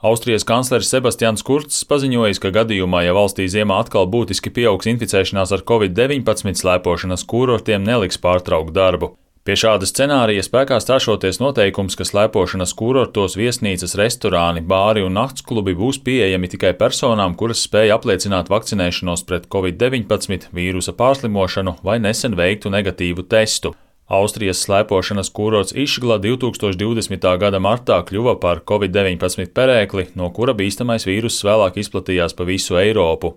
Austrijas kancleris Sebastians Kurcs paziņojis, ka gadījumā, ja valstī ziemā atkal būtiski pieaugs inficēšanās ar Covid-19, slēpošanas kurortiem neliks pārtraukt darbu. Pie šāda scenārija spēkā stāšoties noteikums, ka slēpošanas kurortos viesnīcas, restorāni, bāri un naktsklubi būs pieejami tikai personām, kuras spēj apliecināt vakcinēšanos pret Covid-19, vīrusa pārslimošanu vai nesen veiktu negatīvu testu. Austrijas slēpošanas kurorts Išgla 2020. gada martā kļuva par Covid-19 perēkli, no kura bīstamais vīruss vēlāk izplatījās pa visu Eiropu.